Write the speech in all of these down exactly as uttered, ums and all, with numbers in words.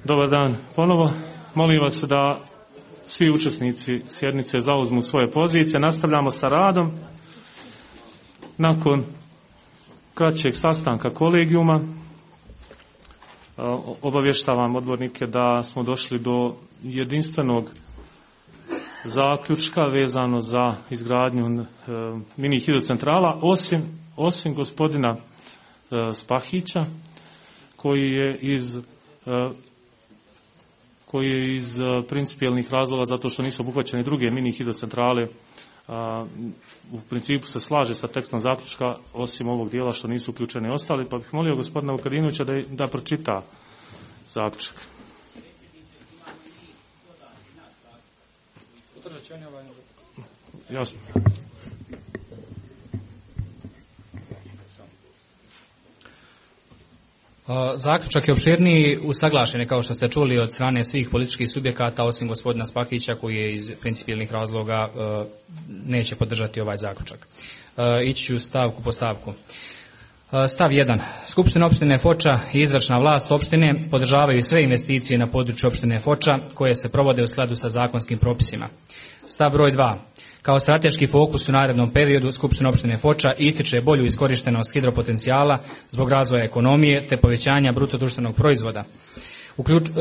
Dobar dan ponovo. Molim vas da svi učesnici sjednice zauzmu svoje pozicije. Nastavljamo sa radom. Nakon kraćeg sastanka kolegijuma obavještavam odbornike da smo došli do jedinstvenog zaključka vezano za izgradnju mini hidrocentrala, osim, osim gospodina Spahića, koji je iz koji je iz principijelnih razloga, zato što nisu obuhvaćene druge mini hidrocentrale, u principu se slaže sa tekstom zaključka, osim ovog dijela što nisu uključeni ostali, pa bih molio gospodina Vukadinovića da, da pročita zaključak. Jasno. Zaključak je opširniji, usaglašen je, kao što ste čuli, od strane svih političkih subjekata, osim gospodina Spahića, koji je iz principijelnih razloga neće podržati ovaj zaključak. Ići ću stavku po stavku. Stav jedan. Skupština opštine Foča i izvršna vlast opštine podržavaju sve investicije na području opštine Foča koje se provode u skladu sa zakonskim propisima. Stav broj dva. Kao strateški fokus u narednom periodu Skupština opštine Foča ističe bolju iskorištenost hidropotencijala zbog razvoja ekonomije te povećanja bruto društvenog proizvoda. Uključ, uh,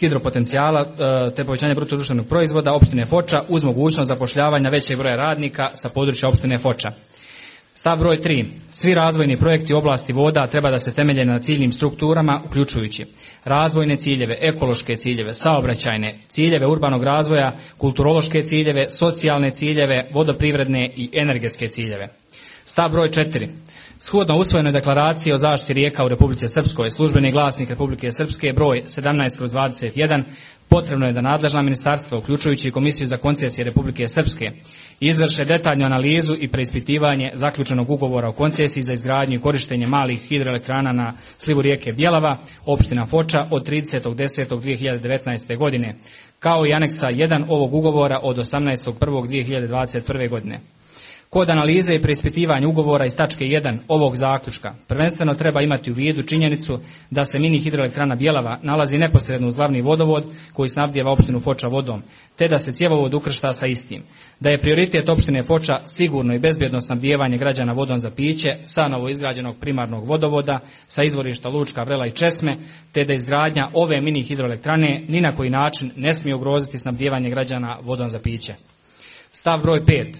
hidropotencijala uh, te povećanja bruto društvenog proizvoda opštine Foča uz mogućnost zapošljavanja većeg broja radnika sa područja opštine Foča. Stav broj tri. Svi razvojni projekti u oblasti voda treba da se temelje na ciljnim strukturama, uključujući razvojne ciljeve, ekološke ciljeve, saobraćajne, ciljeve urbanog razvoja, kulturološke ciljeve, socijalne ciljeve, vodoprivredne i energetske ciljeve. Stav broj četiri. Shodno usvojenoj deklaraciji o zaštiti rijeka u Republici Srpskoj, službeni glasnik Republike Srpske broj sedamnaest kroz dvadeset jedan, potrebno je da nadležna ministarstva, uključujući i Komisiju za koncesije Republike Srpske, izvrše detaljnu analizu i preispitivanje zaključenog ugovora o koncesiji za izgradnju i korištenje malih hidroelektrana na slivu rijeke Bjelava, opština Foča od tridesetog desetog dvije hiljade devetnaeste. godine, kao i aneksa jedan ovog ugovora od osamnaestog prvog dvije hiljade dvadeset prve. godine. Kod analize i preispitivanja ugovora iz tačke jedan ovog zaključka prvenstveno treba imati u vidu činjenicu da se mini hidroelektrana Bjelava nalazi neposredno uz glavni vodovod koji snabdijeva opštinu Foča vodom, te da se cjevovod ukršta sa istim. Da je prioritet opštine Foča sigurno i bezbjedno snabdijevanje građana vodom za piće sa novoizgrađenog primarnog vodovoda sa izvorišta Lučka Vrela i Česme, te da izgradnja ove mini hidroelektrane ni na koji način ne smije ugroziti snabdijevanje građana vodom za piće. Stav broj pet.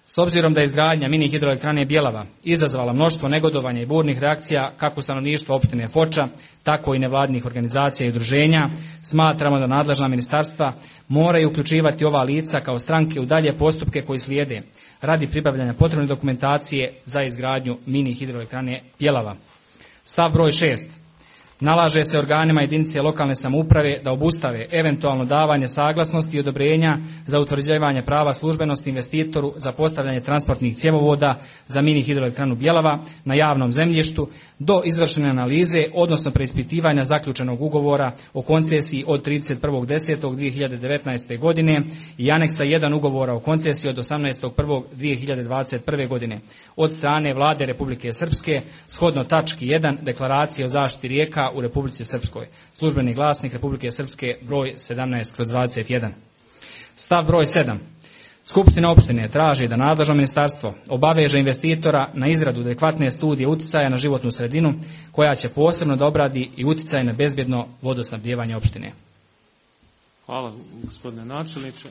S obzirom da je izgradnja mini hidroelektrane Bjelava izazvala mnoštvo negodovanja i burnih reakcija kako stanovništva opštine Foča, tako i nevladinih organizacija i udruženja, smatramo da nadležna ministarstva moraju uključivati ova lica kao stranke u dalje postupke koji slijede radi pribavljanja potrebne dokumentacije za izgradnju mini hidroelektrane Bjelava. Stav broj šest. Nalaže se organima jedinice lokalne samouprave da obustave eventualno davanje saglasnosti i odobrenja za utvrđivanje prava službenosti investitoru za postavljanje transportnih cjevovoda za mini hidroelektranu Bjelava na javnom zemljištu do izvršene analize, odnosno preispitivanja zaključenog ugovora o koncesiji od trideset prvog desetog dvije hiljade devetnaeste. godine i aneksa jedan ugovora o koncesiji od osamnaestog prvog dvije hiljade dvadeset prve. godine od strane Vlade Republike Srpske, shodno tački jedan deklaracije o zaštiti rijeka u Republici Srpskoj. Službeni glasnik Republike Srpske broj sedamnaest kroz dvadeset jedan. Stav broj sedam. Skupština opštine traži da nadležno ministarstvo obaveže investitora na izradu adekvatne studije uticaja na životnu sredinu koja će posebno da obradi i uticaj na bezbjedno vodosnabdijevanje opštine. Hvala gospodine načelniče.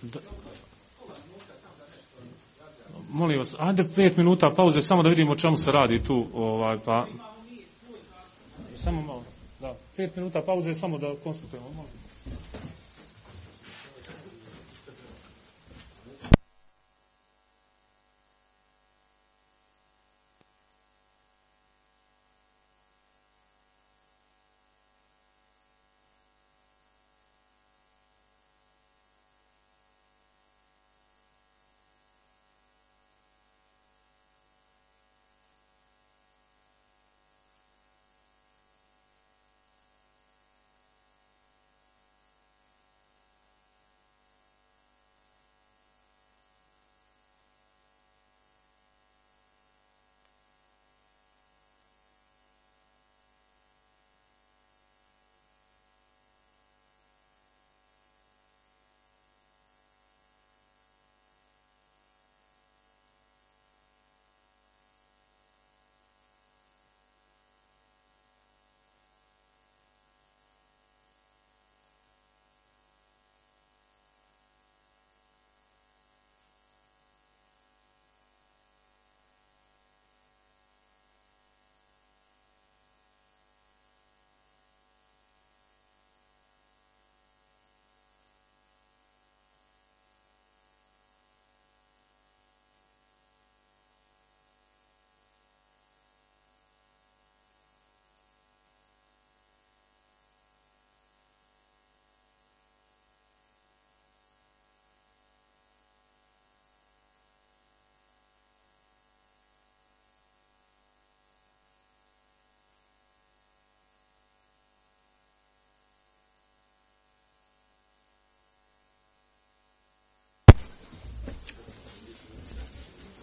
Da. Molim vas, ajde pet minuta pauze, samo da vidimo o čemu se radi tu, ovaj, pa... Samo malo, da, pet minuta pauze, samo da konstatujemo.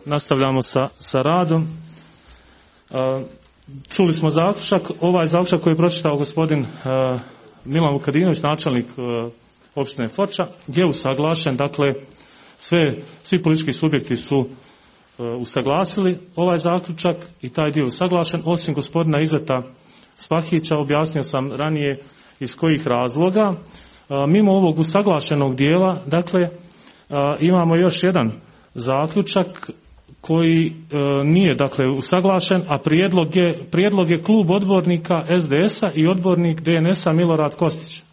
nastavljamo sa, sa radom. Čuli smo zaključak. Ovaj zaključak koji je pročitao gospodin Milan Vukadinović, načelnik opštine Foča, je usaglašen. Dakle, sve, svi politički subjekti su usaglasili ovaj zaključak i taj dio usaglašen, osim gospodina Izeta Spahića. Objasnio sam ranije iz kojih razloga. Mimo ovog usaglašenog dijela, dakle, imamo još jedan zaključak koji e, nije, dakle, usaglašen, a prijedlog je, prijedlog je klub odbornika es de es a i odbornik de en es a Milorad Kostić.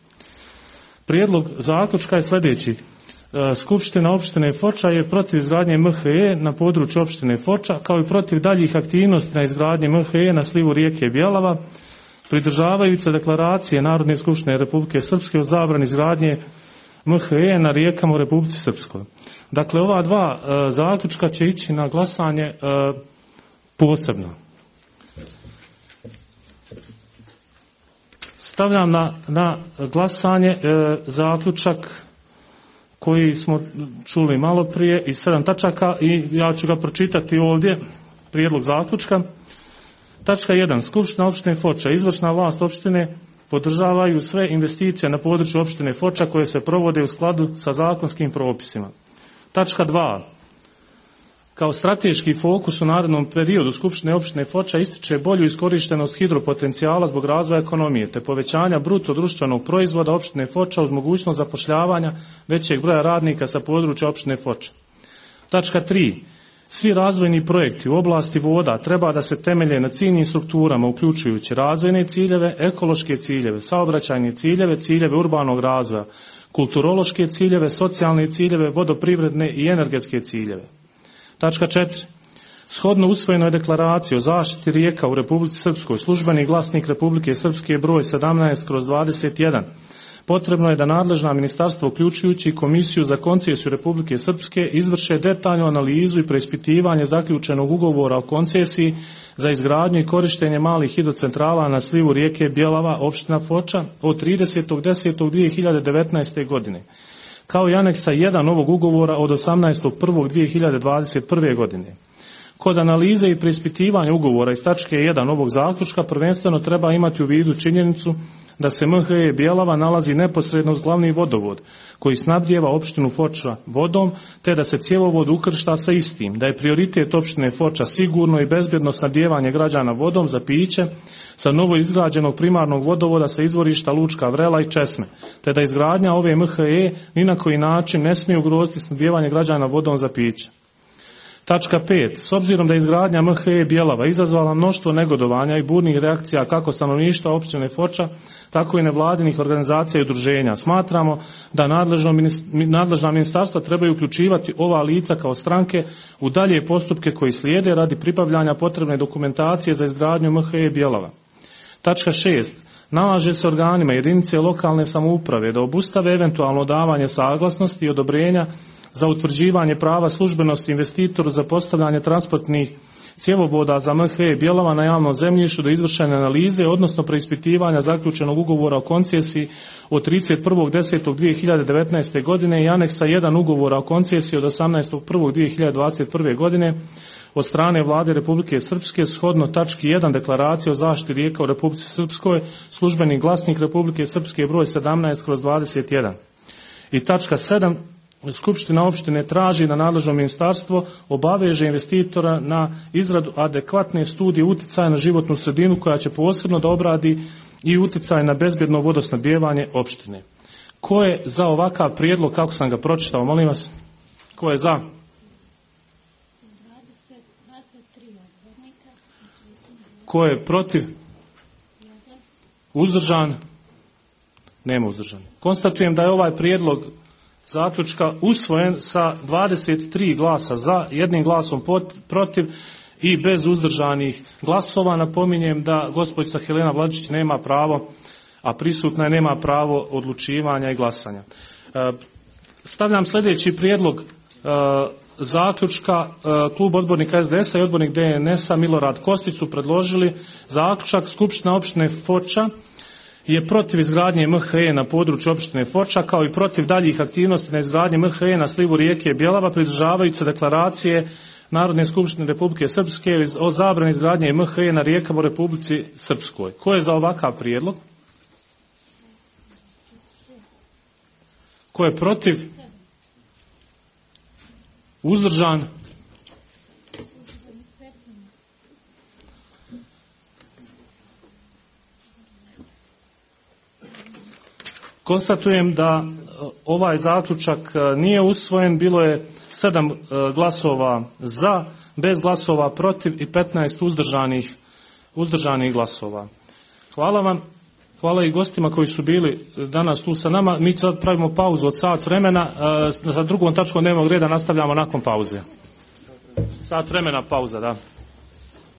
Prijedlog zaključka je sljedeći. E, Skupština opštine Foča je protiv izgradnje em ha e na području opštine Foča, kao i protiv daljih aktivnosti na izgradnji em ha e na slivu rijeke Bjelava, pridržavajući se deklaracije Narodne skupštine Republike Srpske o zabrani izgradnje em ha e na rijekama u Republici Srpskoj. Dakle, ova dva e, zaključka će ići na glasanje e, posebno. Stavljam na, na glasanje e, zaključak koji smo čuli malo prije iz sedam tačaka i ja ću ga pročitati ovdje, prijedlog zaključka. Tačka jedan. Skupština opštine Foča, izvršna vlast opštine podržavaju sve investicije na području opštine Foča koje se provode u skladu sa zakonskim propisima. Tačka dva. Kao strateški fokus u narednom periodu Skupštine opštine Foča ističe bolju iskorištenost hidropotencijala zbog razvoja ekonomije te povećanja bruto društvenog proizvoda opštine Foča uz mogućnost zapošljavanja većeg broja radnika sa područja opštine Foča. Tačka tri. Svi razvojni projekti u oblasti voda treba da se temelje na ciljnim strukturama uključujući razvojne ciljeve, ekološke ciljeve, saobraćajne ciljeve, ciljeve urbanog razvoja, kulturološke ciljeve, socijalne ciljeve, vodoprivredne i energetske ciljeve. Tačka četiri. Shodno usvojenoj deklaraciji o zaštiti rijeka u Republici Srpskoj, službeni glasnik Republike Srpske broj sedamnaest kroz dvadeset jedan, potrebno je da nadležna ministarstva, uključujući Komisiju za koncesiju Republike Srpske, izvrše detaljnu analizu i preispitivanje zaključenog ugovora o koncesiji za izgradnju i korištenje malih hidrocentrala na slivu rijeke Bjelava, opština Foča, od tridesetog desetog dvije hiljade devetnaeste. godine, kao i aneksa jedan ovog ugovora od osamnaestog prvog dvije hiljade dvadeset prve. godine. Kod analize i preispitivanja ugovora iz tačke jedan ovog zaključka prvenstveno treba imati u vidu činjenicu da se em ha e Bjelava nalazi neposredno uz glavni vodovod koji snabdijeva opštinu Foča vodom, te da se cjevovod ukršta sa istim, da je prioritet opštine Foča sigurno i bezbjedno snabdijevanje građana vodom za piće sa novo izgrađenog primarnog vodovoda sa izvorišta Lučka Vrela i Česme, te da izgradnja ove em ha e ni na koji način ne smije ugroziti snabdijevanje građana vodom za piće. Tačka pet. S obzirom da je izgradnja em ha e Bjelava izazvala mnoštvo negodovanja i burnih reakcija kako stanovništva opštine Foča, tako i nevladinih organizacija i udruženja, smatramo da nadležna ministarstva trebaju uključivati ova lica kao stranke u dalje postupke koji slijede radi pribavljanja potrebne dokumentacije za izgradnju em ha e Bjelava. Tačka šest. Nalaže se organima jedinice lokalne samouprave da obustave eventualno davanje saglasnosti i odobrenja za utvrđivanje prava službenosti investitoru za postavljanje transportnih cjevovoda za em ha e Bjelava na javnom zemljištu do izvršene analize, odnosno preispitivanja zaključenog ugovora o koncesiji od trideset prvog desetog dvije hiljade devetnaeste. godine i aneksa jedan ugovora o koncesiji od osamnaestog prvog dvije hiljade dvadeset prve. godine od strane Vlade Republike Srpske shodno tački jedan deklaracije o zaštiti rijeka u Republici Srpskoj, službeni glasnik Republike Srpske broj sedamnaest kroz dvadeset jedan. I tačka sedam. Skupština opštine traži da nadležno ministarstvo obaveže investitora na izradu adekvatne studije uticaja na životnu sredinu koja će posebno da obradi i uticaj na bezbjedno vodosnabdijevanje opštine. Ko je za ovakav prijedlog kako sam ga pročitao, molim vas? Ko je za? Ko je protiv? Uzdržan? Nema uzdržan. Konstatujem da je ovaj prijedlog zaključka usvojen sa dvadeset tri glasa za, jednim glasom protiv i bez uzdržanih glasova. Napominjem da gospođica Helena Vlačić nema pravo, a prisutna je, nema pravo odlučivanja i glasanja. Stavljam sljedeći prijedlog zaključka. Klub odbornika es de es a i odbornik de en es a Milorad Kostić su predložili zaključak. Skupština opštine Foča je protiv izgradnje em ha e na području opštine Foča, kao i protiv daljih aktivnosti na izgradnji em ha e na slivu rijeke Bjelava, pridržavajući se deklaracije Narodne skupštine Republike Srpske o zabrani izgradnje M H E na rijekama u Republici Srpskoj. Ko je za ovakav prijedlog? Ko je protiv? Uzdržan? Konstatujem da ovaj zaključak nije usvojen, bilo je sedam glasova za, bez glasova protiv i petnaest uzdržanih, uzdržanih glasova. Hvala vam, hvala i gostima koji su bili danas tu sa nama. Mi sad pravimo pauzu od sat vremena, sa drugom tačkom dnevnog reda nastavljamo nakon pauze. Sat vremena pauza, da.